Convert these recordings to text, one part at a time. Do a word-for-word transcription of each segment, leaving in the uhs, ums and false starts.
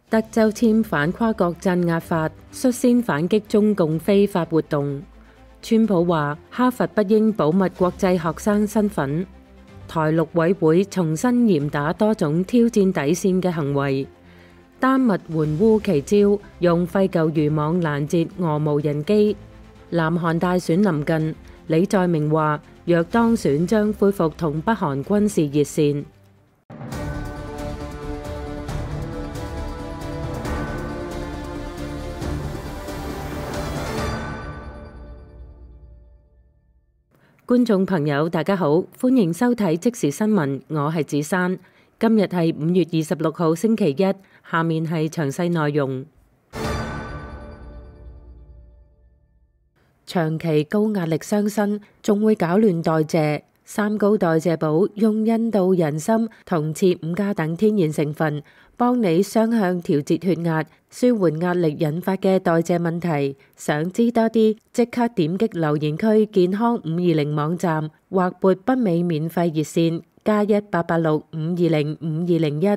德州簽反跨國鎮壓法，率先反擊中共非法活動。川普話哈佛不應保密國際學生身份。台陸委會重新嚴打多種挑戰底線嘅行為。丹麥援烏奇招，用廢舊漁網攔截俄無人機。南韓大選臨近，李在明話若當選將恢復同北韓軍事熱線。觀眾朋友大家好，歡迎收睇即時新聞，我係子珊。今日係五月二十六號星期一，下面係詳細內容。長期高壓力傷身，仲會搞亂代謝。三高代謝寶用印度人參同刺五加等天然成分，幫你雙向調節血壓，舒緩壓力引發嘅代謝問題。想知多啲，即刻點擊留言區健康五二零網站或撥北美免費熱線加一八八六五二零五二零一。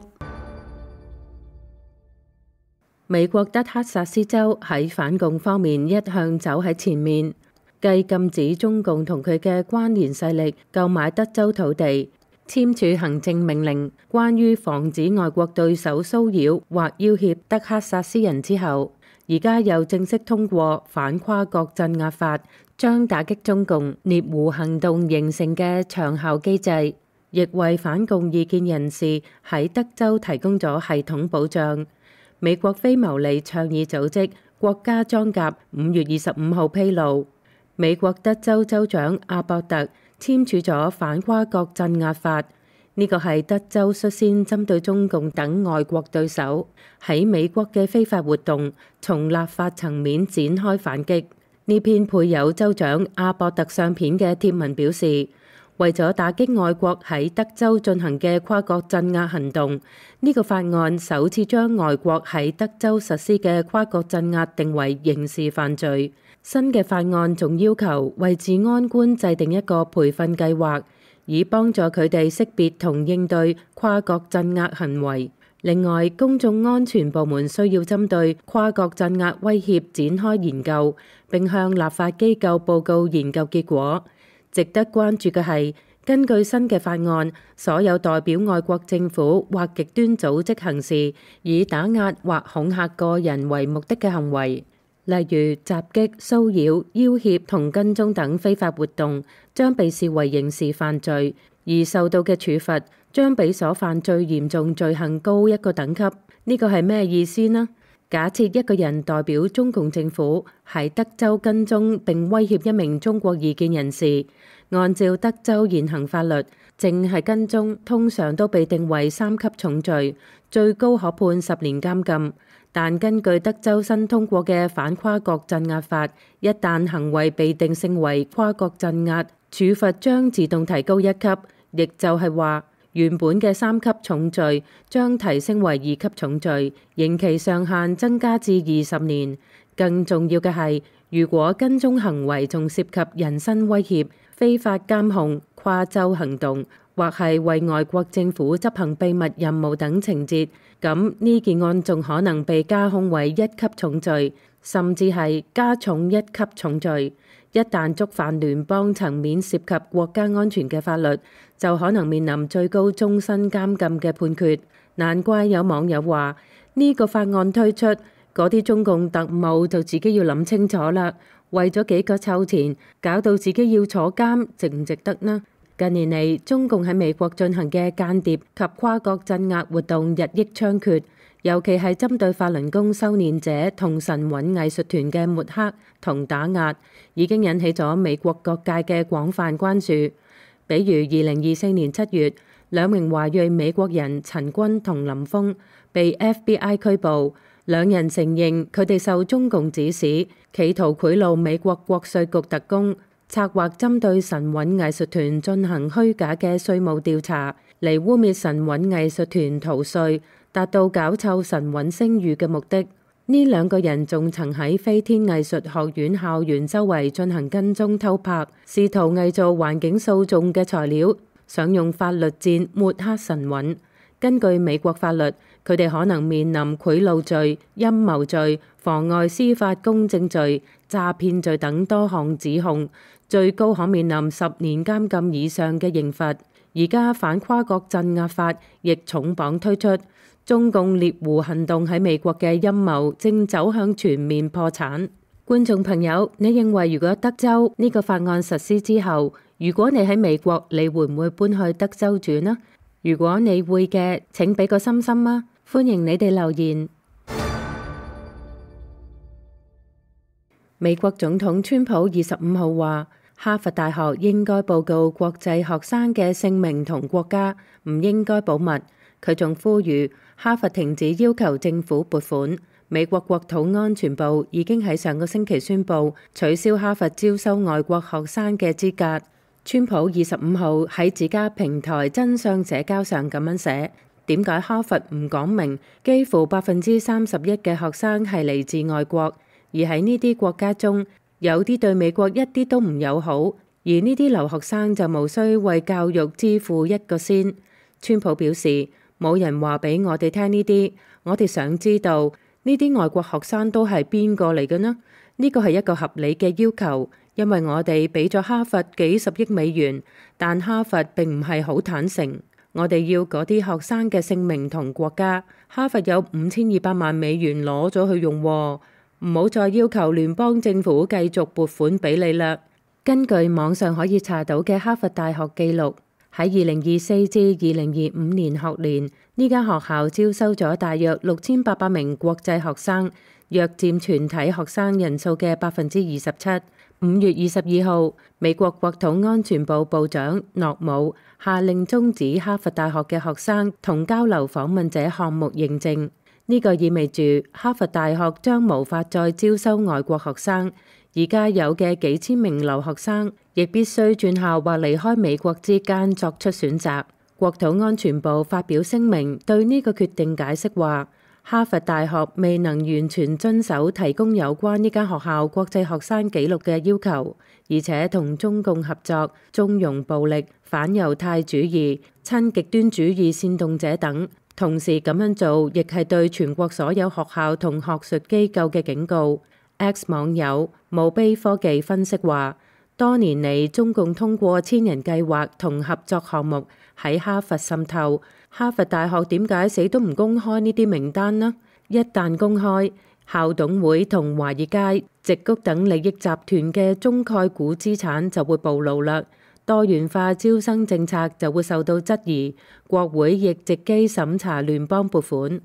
美國德克薩斯州喺反共方面一向走喺前面，繼禁止中共同佢嘅關聯勢力購買德州土地，簽署行政命令，關於防止外國對手騷擾或要挾德克薩斯人之後，而家又正式通過反跨國鎮壓法，將打擊中共獵狐行動形成嘅長效機制，亦為反共意見人士喺德州提供咗系統保障。美國非牟利倡議組織國家裝甲五月二十五號披露，美國德州州長阿博特簽署咗反跨國鎮壓法，呢個係德州率先針對中共等外國對手喺美國嘅非法活動，從立法層面展開反擊。呢篇配有州長阿博特相片嘅貼文表示，為咗打擊外國喺德州進行嘅跨國鎮壓行動，呢個法案首次將外國喺德州實施嘅跨國鎮壓定為刑事犯罪。新嘅法案仲要求為治安官制定一個培訓計劃，以幫助佢哋識別同應對跨國鎮壓行為。另外，公眾安全部門需要針對跨國鎮壓威脅展開研究，並向立法機構報告研究結果。值得關注嘅係，根據新嘅法案，所有代表外國政府或極端組織行事，以打壓或恐嚇個人為目的嘅行為，例如襲擊、騷擾、要挾同跟蹤等非法活動，將被視為刑事犯罪，而受到嘅處罰將比所犯最嚴重罪行高一個等級。呢個係咩意思呢？假設一個人代表中共政府喺德州跟蹤並威脅一名中國異見人士，按照德州現行法律，淨係跟蹤通常都被定為三級重罪，最高可判十年監禁。但根據德州新通過嘅反跨國鎮壓法，一旦行為被定性為跨國鎮壓，處罰將自動提高一級，亦就係話，原本嘅三級重罪將提升為二級重罪，刑期上限增加至二十年。更重要嘅係，如果跟蹤行為仲涉及人身威脅、非法監控、跨州行動，或係為外國政府執行秘密任務等情節，咁呢件案仲可能被加控為一級重罪，甚至係加重一級重罪。一旦觸犯聯邦層面涉及國家安全嘅法律，就可能面臨最高終身監禁嘅判決。難怪有網友話，呢個法案推出，嗰啲中共特務就自己要諗清楚啦，為咗幾個臭錢，搞到自己要坐監，值唔值得呢？近年嚟，中共喺美國進行嘅間諜及跨國鎮壓活動日益猖獗，尤其係針對法輪功修煉者同神韻藝術團嘅抹黑同打壓，已經引起咗美國各界嘅廣泛關注。比如二零二四年七月，兩名華裔美國人陳軍同林峰被 F B I 拘捕，兩人承認佢哋受中共指使，企圖賄賂美國國稅局特工，策劃針對神韻藝術團進行虛假嘅稅務調查，嚟污蔑神韻藝術團逃稅，達到搞臭神韻聲譽嘅目的。呢兩個人仲曾喺飛天藝術學院校園周圍進行跟蹤偷拍，試圖偽造環境訴訟嘅材料，想用法律戰抹黑神韻。根據美國法律，佢哋可能面臨賄賂罪、陰謀罪、妨礙司法公正罪、詐騙罪等多項指控，最高可面臨十年監禁以上嘅刑罰。而家反跨國鎮壓法亦重磅推出，中共獵狐行動喺美國嘅陰謀正走向全面破產。觀眾朋友，你認為如果德州呢個法案實施之後，如果你喺美國，你會唔會搬去德州住呢？如果你會嘅，請俾個心心啊！歡迎你哋留言。美國總統川普二十五號話，哈佛大學應該報告國際學生嘅姓名同國家，唔應該保密。佢仲呼籲哈佛停止要求政府撥款。美國國土安全部已經喺上個星期宣布取消哈佛招收外國學生嘅資格。川普二十五號喺自家平台真相社交上咁樣寫：點解哈佛唔講明幾乎百分之三十一嘅學生係嚟自外國，而喺呢啲國家中有啲對美國一啲都唔友好，而呢啲留學生就無需為教育支付一個仙。川普表示：冇人話俾我哋聽呢啲，我哋想知道。呢啲外國學生都係邊個嚟嘅呢？呢個係一個合理嘅要求，因為我哋俾咗哈佛幾十億美元，但哈佛並唔係好坦誠。我哋要嗰啲學生嘅姓名同國家。哈佛有五千二百萬美元攞咗去用喎，唔好再要求聯邦政府繼續撥款俾你啦。根據網上可以查到嘅哈佛大學記錄，喺二零二四至二零二五年學年，呢間學校招收咗大約六千八百名國際學生，約佔全體學生人數嘅百分之二十七。五月二十二號，美國國土安全部部長諾姆下令終止哈佛大學嘅學生同交流訪問者項目認證。呢個意味住哈佛大學將無法再招收外國學生。而家有嘅幾千名留學生亦必須轉校或離開美國之間作出選擇。國土安全部發表聲明對呢個決定解釋話，哈佛大學未能完全遵守提供有關呢間學校國際學生記錄嘅要求，而且同中共合作，縱容暴力、反猶太主義、親極端主義煽動者等。同時咁樣做亦係對全國所有學校同學術機構嘅警告。X 網友墓碑科技分析話，多年嚟中共通過千人計劃同合作項目喺哈佛滲透。哈佛大學點解死都唔公開呢啲名單呢？一旦公開，校董會同華爾街、矽谷等利益集團嘅中概股資產就會暴露啦。多元化招生政策就會受到質疑，國會亦藉機審查聯邦撥款。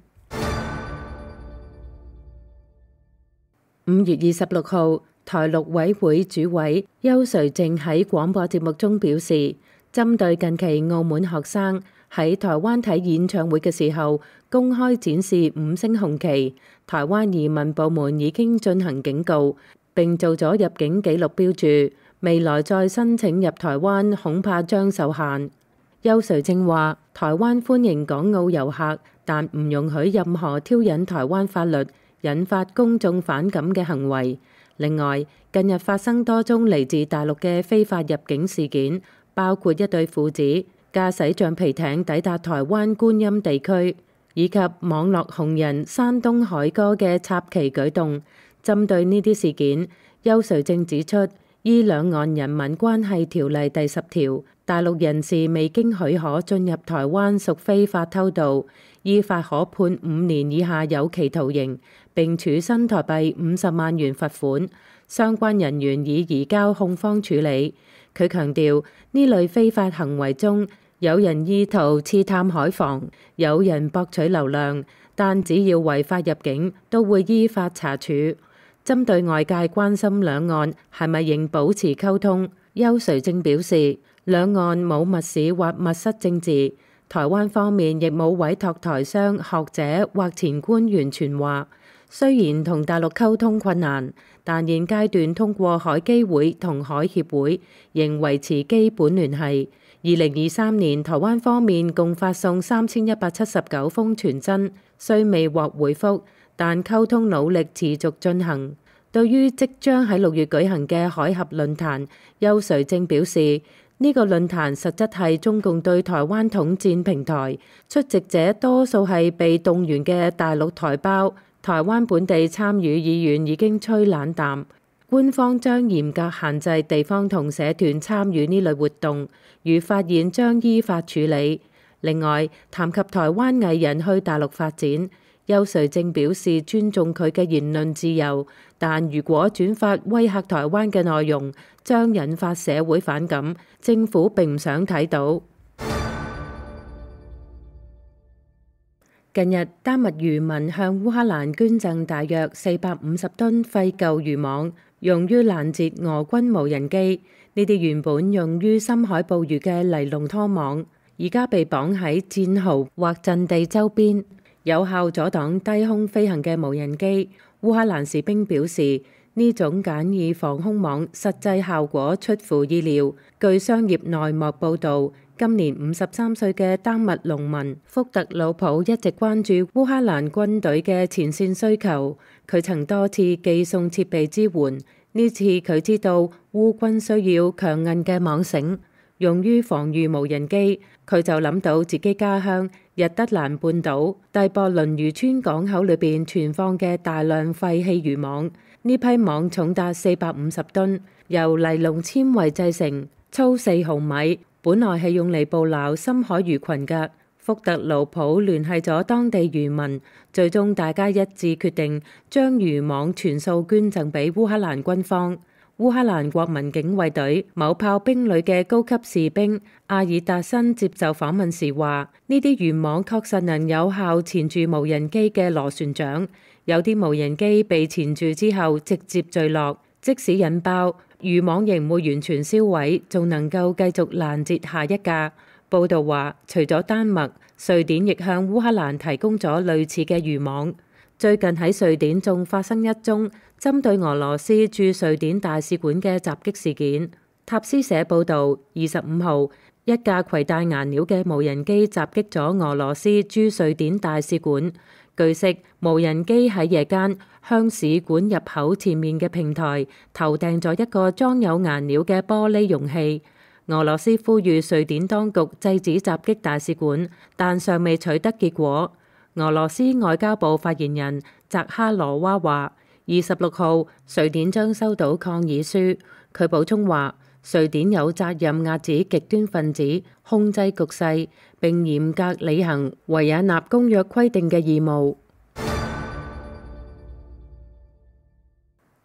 五月二十六號，台陸委會主委邱垂正喺廣播節目中表示，針對近期澳門學生喺台灣睇演唱會嘅時候公開展示五星紅旗，台灣移民部門已經進行警告，並做咗入境記錄標註，未來再申請入台灣恐怕將受限。邱垂正話，台灣歡迎港澳遊客，但唔容許任何挑釁台灣法律、引發公眾反感嘅行為。另外，近日發生多宗嚟自大陸嘅非法入境事件，包括一對父子駕駛橡皮艇抵達台灣觀音地區，以及網絡紅人山東海哥嘅插旗舉動。針對呢啲事件，邱垂正指出，依兩岸人民關係條例第十條，大陸人士未經許可進入台灣屬非法偷渡，依法可判五年以下有期徒刑，並處新台幣五十萬元罰款。相關人員已移交控方處理。佢強調，呢類非法行為中，有人意圖刺探海防，有人博取流量，但只要違法入境，都會依法查處。針對外界關心兩岸係咪仍保持溝通，邱垂正表示，兩岸冇密使或密室政治，台灣方面亦冇委託台商、學者或前官員傳話。雖然同大陸溝通困難，但現階段通過海基會同海協會仍維持基本聯繫。二零二三年台灣方面共發送三千一百七十九封傳真，雖未獲回覆，但溝通努力持續進行。對於即將喺六月舉行嘅海峽論壇，邱垂正表示，呢個論壇實質係中共對台灣統戰平台，出席者多數係被動員嘅大陸台胞，台灣本地參與意願已經趨冷淡。官方將嚴格限制地方同社團參與呢類活動，如發現將依法處理。另外，談及台灣藝人去大陸發展，邱瑞正表示尊重佢嘅言論自由，但如果轉發威嚇台灣嘅內容，將引發社會反感，政府並唔想睇到。近日，丹麥漁民向烏克蘭捐贈大約四百五十噸廢舊漁網，用於攔截俄軍無人機。呢啲原本用於深海捕魚嘅尼龍拖網，而家被綁喺戰壕或陣地周邊，有效阻擋低空飛行嘅無人機。烏克蘭士兵表示，呢種簡易防空網實際效果出乎意料。據商業內幕報導，今年五十三歲嘅丹麥農民福特魯普一直關注烏克蘭軍隊嘅前線需求，佢曾多次寄送設備支援。呢次佢知道烏軍需要強韌嘅網繩，用於防禦無人機，佢就諗到自己家鄉日德蘭半島蒂博倫漁村港口裏邊存放嘅大量廢棄漁網。呢批網重達四百五十噸，由尼龍纖維製成，粗四毫米，本來係用嚟捕撈深海魚群㗎。福特魯普聯繫咗當地漁民，最終大家一致決定將漁網全數捐贈俾烏克蘭軍方。烏克蘭國民警衛隊某炮兵旅嘅高級士兵阿爾達申接受訪問時話：呢啲漁網確實能有效纏住無人機嘅螺旋槳，有啲無人機被纏住之後直接墜落，即使引爆，漁網仍唔會完全燒毀，仲能夠繼續攔截下一架。報道話，除咗丹麥，瑞典亦向烏克蘭提供咗類似嘅漁網。最近喺瑞典仲發生一宗針對俄羅斯駐瑞典大使館嘅襲擊事件。塔斯社報導，二十五號，一架攜帶顏料嘅無人機襲擊咗俄羅斯駐瑞典大使館。據悉，無人機喺夜間向使館入口前面嘅平台投掟咗一個裝有顏料嘅玻璃容器。俄羅斯呼籲瑞典當局制止襲擊大使館，但尚未取得結果。俄羅斯外交部發言人扎哈羅娃話：二十六號，瑞典將收到抗議書。佢補充話，瑞典有責任遏止極端分子，控制局勢，並嚴格履行維也納公約規定嘅義務。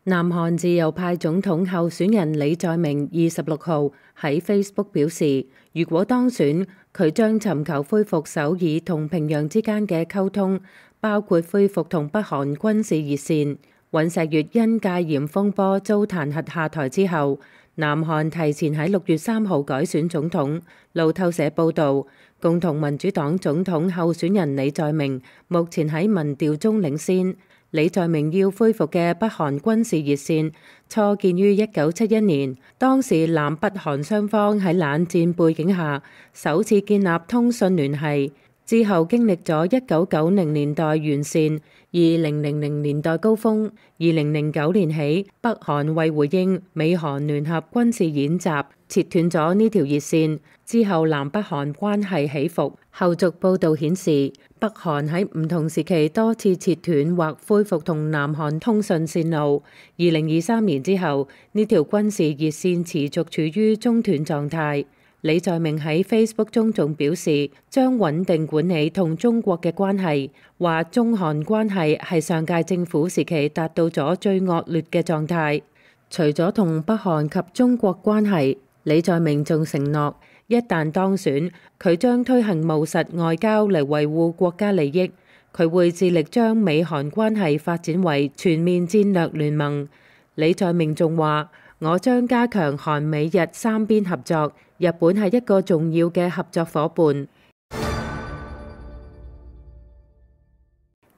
南韓自由派總統候選人李在明二十六號喺 Facebook 表示，如果當選，佢將尋求恢復首爾同平壤之間嘅溝通，包括恢復同北韓軍事熱線。尹錫悅因戒嚴風波遭彈劾下台之後，南韓提前喺六月三號改選總統。路透社報導，共同民主黨總統候選人李在明目前喺民調中領先。李在明要恢復嘅北韓軍事熱線，初建於一九七一年，當時南北韓雙方喺冷戰背景下首次建立通訊聯繫，之後經歷咗一九九零年代完善，二零零零年代高峰，二零零九年起，北韓為回應美韓聯合軍事演習，切斷咗呢條熱線，之後南北韓關係起伏。後續報導顯示，北韓喺唔同時期多次切斷或恢復同南韓通訊線路。二零二三年之後，呢條軍事熱線持續處於中斷狀態。李在明喺 Facebook 中仲表示，將穩定管理同中國嘅關係，話中韓關係係上屆政府時期達到咗最惡劣嘅狀態。除咗同北韓及中國關係，李在明仲承諾，一旦當選，佢將推行務實外交嚟維護國家利益。佢會致力將美韓關係發展為全面戰略聯盟。李在明仲話：我將加強韓美日三邊合作，日本係一個重要嘅合作夥伴。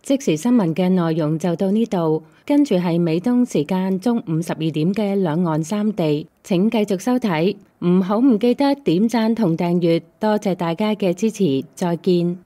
即時新聞嘅內容就到呢度，跟住係美東時間中午十二點嘅兩岸三地，請繼續收睇，唔好唔記得點讚同訂閱，多謝大家嘅支持，再見。